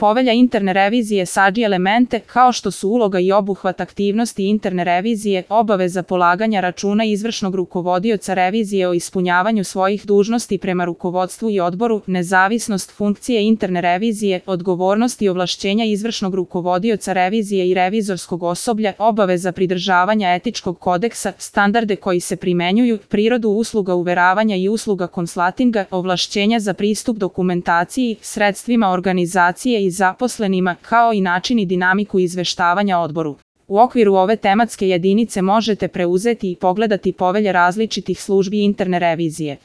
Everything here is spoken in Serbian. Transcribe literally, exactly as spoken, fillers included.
Povelja interne revizije sadrži elemente kao što su uloga i obuhvat aktivnosti interne revizije, obaveza polaganja računa izvršnog rukovodioca revizije o ispunjavanju svojih dužnosti prema rukovodstvu i odboru, nezavisnost funkcije interne revizije, odgovornost i ovlašćenja izvršnog rukovodioca revizije i revizorskog osoblja, obaveza pridržavanja etičkog kodeksa, standarde koji se primenjuju, prirodu usluga uveravanja i usluga konslatinga, ovlašćenja za pristup dokumentaciji, sredstvima organizacije i zaposlenima, kao i način i dinamiku izveštavanja odboru. U okviru ove tematske jedinice možete preuzeti i pogledati povelje različitih službi interne revizije.